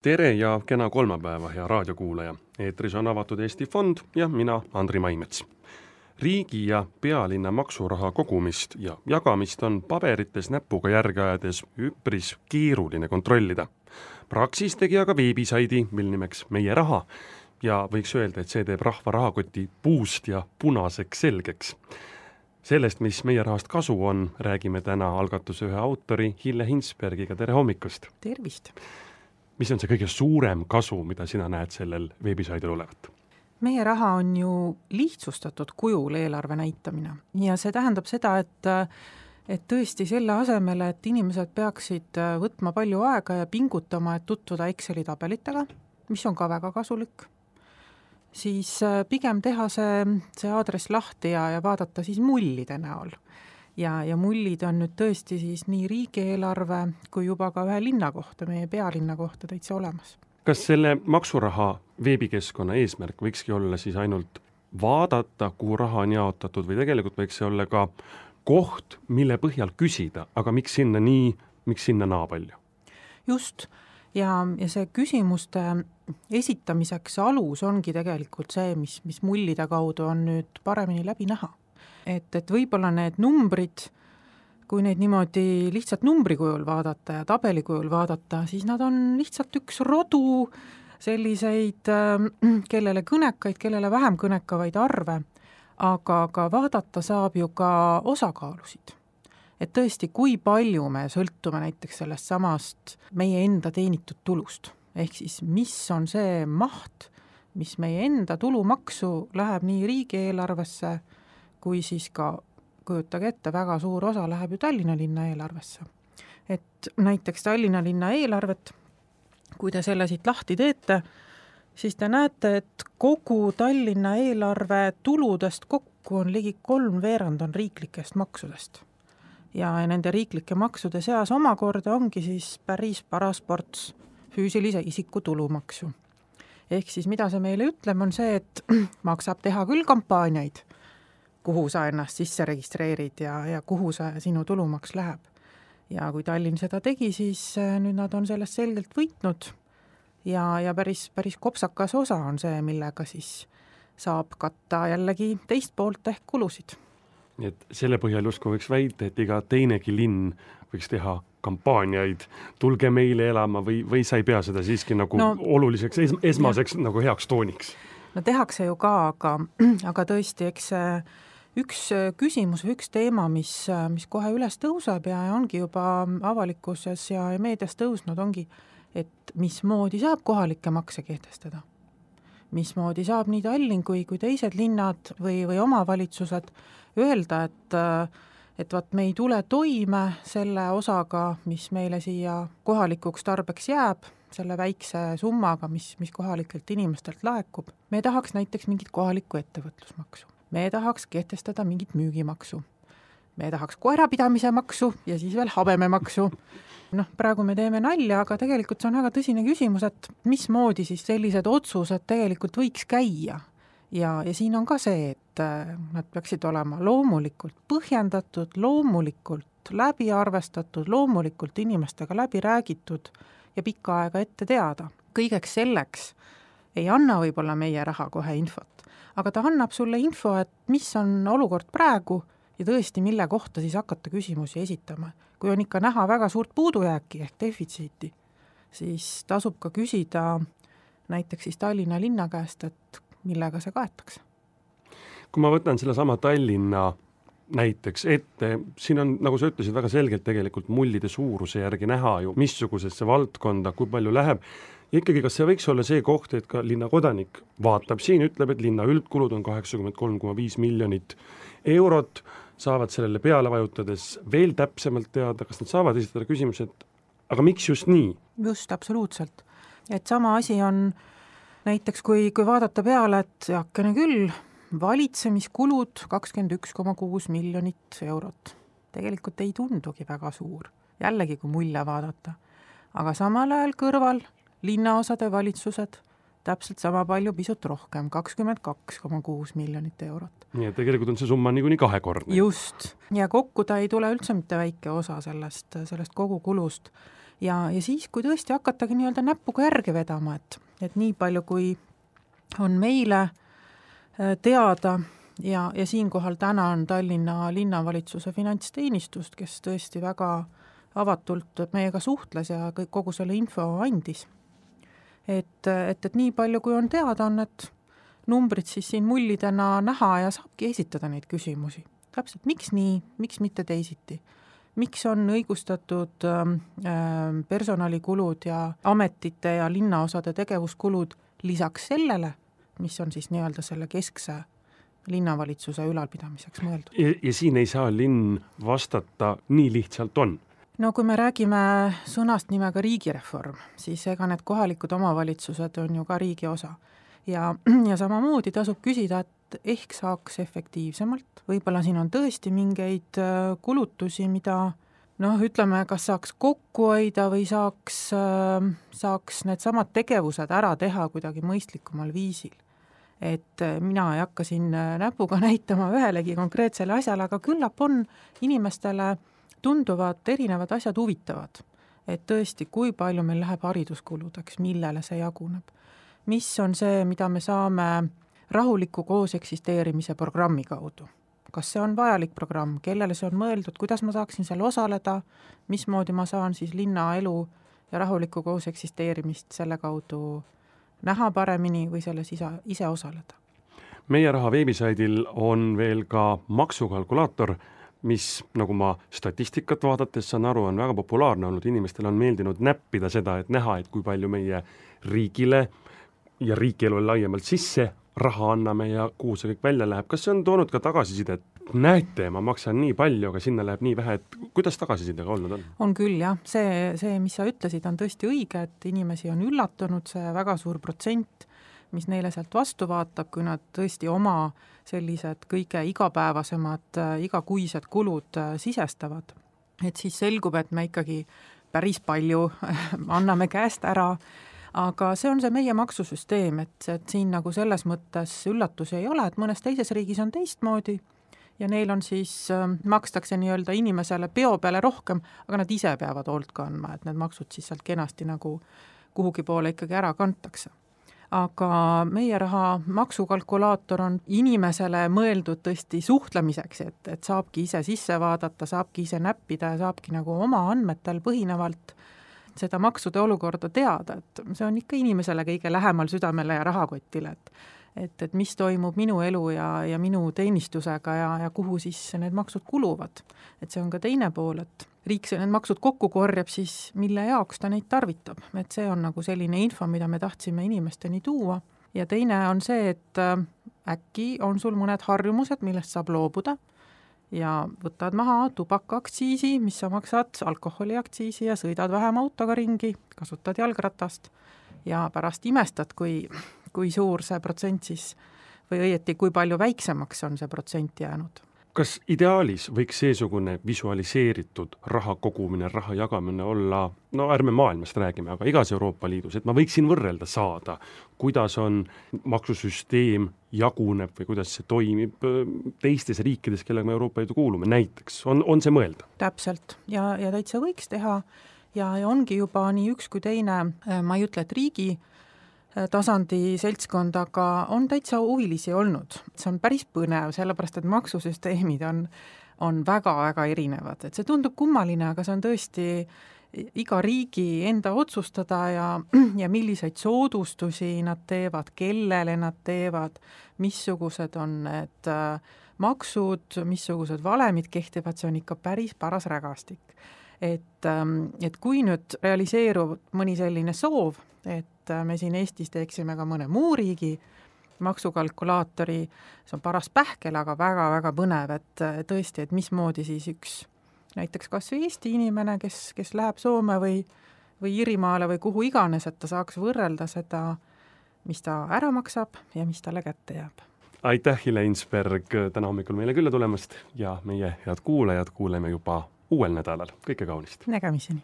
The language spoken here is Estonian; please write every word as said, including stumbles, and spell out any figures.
Tere ja kena kolmapäeva, hea raadiokuulaja. Eetris on avatud Eesti Fond ja mina, Andri Maimets. Riigi ja pealinna maksuraha kogumist ja jagamist on paberites näpuga järge ajades üpris keeruline kontrollida. Praxis tegi aga veebisaidi, mil nimeks Meie Raha, ja võiks öelda, et see teeb rahva rahakoti puust ja punaseks selgeks. Sellest, mis Meie Rahast kasu on, räägime täna algatuse ühe autori Hille Hinsbergiga. Tere hommikust! Tervist! Mis on see kõige suurem kasu, mida sina näed sellel veebisaidil olevat? Meie Raha on ju lihtsustatud kujul eelarve näitamine ja see tähendab seda, et, et tõesti selle asemele, et inimesed peaksid võtma palju aega ja pingutama, et tutvuda Exceli tabelitega, mis on ka väga kasulik, siis pigem teha see, see aadress lahti ja, ja vaadata siis mullide näol. Ja, ja mullid on nüüd tõesti siis nii riigieelarve kui juba ka ühe linna kohta, meie pealinna kohta täitsa olemas. Kas selle maksuraha veebikeskkonna eesmärk võikski olla siis ainult vaadata, kuhu raha on jaotatud, või tegelikult võiks see olla ka koht, mille põhjal küsida, aga miks sinna nii, miks sinna naa palju? Just, ja, ja see küsimuste esitamiseks alus ongi tegelikult see, mis, mis mullide kaudu on nüüd paremini läbi näha. Et, et võib-olla need numbrid, kui neid niimoodi lihtsalt numbri kujul vaadata ja tabeli kujul vaadata, siis nad on lihtsalt üks rodu selliseid, kellele kõnekaid, kellele vähem kõnekavaid arve, aga ka vaadata saab ju ka osakaalusid. Et tõesti, kui palju me sõltume näiteks sellest samast meie enda teenitud tulust, ehk siis mis on see maht, mis meie enda tulumaksu läheb nii riigieelarvesse, kui siis ka, kujutage ette, väga suur osa läheb ju Tallinna linna eelarvesse. Et näiteks Tallinna linna eelarvet, kui te selle siit lahti teete, siis te näete, et kogu Tallinna eelarve tuludest kokku on ligi kolm veerand on riiklikest maksudest. Ja nende riiklike maksude seas omakorda ongi siis päris paras ports füüsilise isiku tulumaksu. Ehk siis mida see meile ütleb, on see, et maksab teha küll kampaaniaid, kuhu sa ennast sisse registreerid ja, ja kuhu sa, sinu tulumaks läheb. Ja kui Tallinn seda tegi, siis nüüd nad on sellest selgelt võitnud ja, ja päris, päris kopsakas osa on see, millega siis saab katta jällegi teist poolt ehk kulusid. Nii et selle põhjal justkui võiks väita, et iga teinegi linn võiks teha kampaaniaid, tulge meile elama või, või sa ei pea seda siiski nagu no, oluliseks, es, esmaseks ja. Nagu heaks tooniks? No tehakse ju ka, aga, aga tõesti, eks üks küsimus või üks teema, mis, mis kohe üles tõuseb ja ongi juba avalikkuses ja meedias tõusnud, ongi, et mismoodi saab kohalikke makse kehtestada. Mismoodi saab nii Tallinn kui, kui teised linnad või, või omavalitsused öelda, et, et vaat me ei tule toime selle osaga, mis meile siia kohalikuks tarbeks jääb, selle väikse summaga, mis, mis kohalikelt inimestelt laekub. Me tahaks näiteks mingit kohalikku ettevõtlusmaksu. Me tahaks kehtestada mingit müügimaksu. Me tahaks koerapidamise maksu ja siis veel habememaksu. Noh, praegu me teeme nalja, aga tegelikult see on väga tõsine küsimus, et mismoodi siis sellised otsused tegelikult võiks käia. Ja, ja siin on ka see, et nad peaksid olema loomulikult põhjendatud, loomulikult läbi arvestatud, loomulikult inimestega läbi räägitud ja pikka aega ette teada. Kõigeks selleks ei anna võib-olla Meie Raha kohe infot, aga ta annab sulle info, et mis on olukord praegu ja tõesti, mille kohta siis hakata küsimusi esitama. Kui on ikka näha väga suurt puudujääki ehk defitsiiti, siis tasub ka küsida näiteks siis Tallinna linna käest, et millega see kaetakse. Kui ma võtan selle sama Tallinna näiteks ette, siin on, nagu sa ütlesid, väga selgelt tegelikult mullide suuruse järgi näha ju, missugusesse valdkonda, kui palju läheb. Ja ikkagi, kas see võiks olla see koht, et ka linna kodanik vaatab siin, ütleb, et linna üldkulud on kaheksakümmend kolm koma viis miljonit eurot, saavad sellele peale vajutades veel täpsemalt teada, kas nad saavad esitada küsimused, aga miks just nii? Just, absoluutselt. Et sama asi on näiteks, kui, kui vaadata peale, et jakkene küll, valitsemiskulud kakskümmend üks koma kuus miljonit eurot. Tegelikult ei tundugi väga suur, jällegi kui mulje vaadata. Aga samal ajal kõrval linnaosade valitsused täpselt sama palju, pisut rohkem, kakskümmend kaks koma kuus miljonit eurot. Nii et tegelikult on see summa niikuinii kahekordne. Just, ja kokku ta ei tule üldse mitte väike osa sellest, sellest kogu kulust. ja, ja siis, kui tõesti hakatagi nii-öelda näpuga järge vedama, et, et nii palju, kui on meile teada ja, ja siinkohal tänan Tallinna linnavalitsuse finantsteenistust, kes tõesti väga avatult meiega suhtles ja kõik, kogu selle info andis. Et, et, et nii palju, kui on teada, on need numbrid siis siin mullidena näha ja saabki esitada neid küsimusi. Täpselt, miks nii, miks mitte teisiti? Miks on õigustatud äh, personalikulud ja ametite ja linnaosade tegevuskulud lisaks sellele, mis on siis nii-öelda selle keskse linnavalitsuse ülalpidamiseks mõeldud? Ja, ja siin ei saa linn vastata, nii lihtsalt on. No kui me räägime sõnast nimega riigireform, siis ega need kohalikud omavalitsused on ju ka riigi osa. Ja, ja samamoodi tasub küsida, et ehk saaks efektiivsemalt. Võib-olla siin on tõesti mingeid kulutusi, mida noh, ütleme, kas saaks kokku hoida või saaks, saaks need samad tegevused ära teha kuidagi mõistlikumal viisil. Et mina ei hakka siin näpuga näitama ühelegi konkreetsele asjale, aga küllap on inimestele tunduvad erinevad asjad huvitavad. Et tõesti, kui palju meil läheb hariduskuludeks, millele see jaguneb. Mis on see, mida me saame rahuliku koos eksisteerimise programmi kaudu? Kas see on vajalik programm, kellele see on mõeldud, kuidas ma saaksin seal osaleda, mismoodi ma saan siis linna elu ja rahuliku koos eksisteerimist selle kaudu näha paremini või selles ise, ise osaleda? Meie raha veebisaidil on veel ka maksukalkulaator, mis, nagu ma statistikat vaadates saan aru, on väga populaarne olnud. Inimestel on meeldinud näppida seda, et näha, et kui palju meie riigile ja riigielule laiemalt sisse raha anname ja kuhu see kõik välja läheb. Kas see on toonud ka tagasiside, et näete, ma maksan nii palju, aga sinna läheb nii vähe, et kuidas tagasisidega olnud on? On küll, jah. See, see, mis sa ütlesid, on tõesti õige, et inimesi on üllatunud see väga suur protsent, mis neile sealt vastu vaatab, kui nad tõesti oma sellised kõige igapäevasemad, igakuised kulud sisestavad. Et siis selgub, et me ikkagi päris palju anname käest ära, aga see on see meie maksusüsteem, et, et siin nagu selles mõttes üllatusi ei ole, et mõnes teises riigis on teistmoodi ja neil on siis, makstakse nii-öelda inimesele peo peale rohkem, aga nad ise peavad hoolt kandma, et need maksud siis sealt kenasti nagu kuhugi poole ikkagi ära kantakse. Aga meie raha maksukalkulaator on inimesele mõeldud tõesti suhtlemiseks, et, et saabki ise sisse vaadata, saabki ise näppida ja saabki nagu oma andmetel põhinevalt seda maksude olukorda teada, et see on ikka inimesele kõige lähemal südamele ja rahakotile, et, et, et mis toimub minu elu ja, ja minu teenistusega ja, ja kuhu siis need maksud kuluvad. Et see on ka teine pool, et riik see need maksud kokku korjab, siis mille jaoks ta neid tarvitab. Et see on nagu selline info, mida me tahtsime inimesteni tuua. Ja teine on see, et äkki on sul mõned harjumused, millest saab loobuda, ja võtad maha tubakaaktsiisi, mis sa maksad alkoholiaktsiisi ja sõidad vähem autoga ringi, kasutad jalgratast ja pärast imestad, kui, kui suur see protsent siis või õieti, kui palju väiksemaks on see protsent jäänud. Kas ideaalis võiks seesugune visualiseeritud raha kogumine, raha jagamine olla, no ärme maailmast räägime, aga igas Euroopa Liidus, et ma võiksin võrrelda saada, kuidas on maksusüsteem jaguneb või kuidas see toimib teistes riikides, kellega me Euroopa Liidu kuulume, näiteks, on, on see mõelda? Täpselt, ja, ja täitsa võiks teha ja, ja ongi juba nii üks kui teine, ma ei ütle, et riigi tasandi seltskond, aga on täitsa huvilisi olnud. See on päris põnev, sellepärast et maksusüsteemid on, on väga-väga erinevad. Et see tundub kummaline, aga see on tõesti iga riigi enda otsustada ja, ja milliseid soodustusi nad teevad, kellele nad teevad, missugused on need maksud, missugused valemid kehtivad, see on ikka päris paras rägastik. Et, et kui nüüd realiseerub mõni selline soov, et me siin Eestis teeksime ka mõne muu riigi maksukalkulaatori, see on paras pähkel, aga väga-väga põnev, et tõesti, et mismoodi siis üks näiteks kas või Eesti inimene, kes, kes läheb Soome või, või Iirimaale või kuhu iganes, et ta saaks võrrelda seda, mis ta ära maksab ja mis talle kätte jääb. Aitäh, Hille Insberg, täna hommikul meile külla tulemast ja meie head kuulajad kuuleme juba uuel nädalal. Kõike kaunist! Nägemiseni!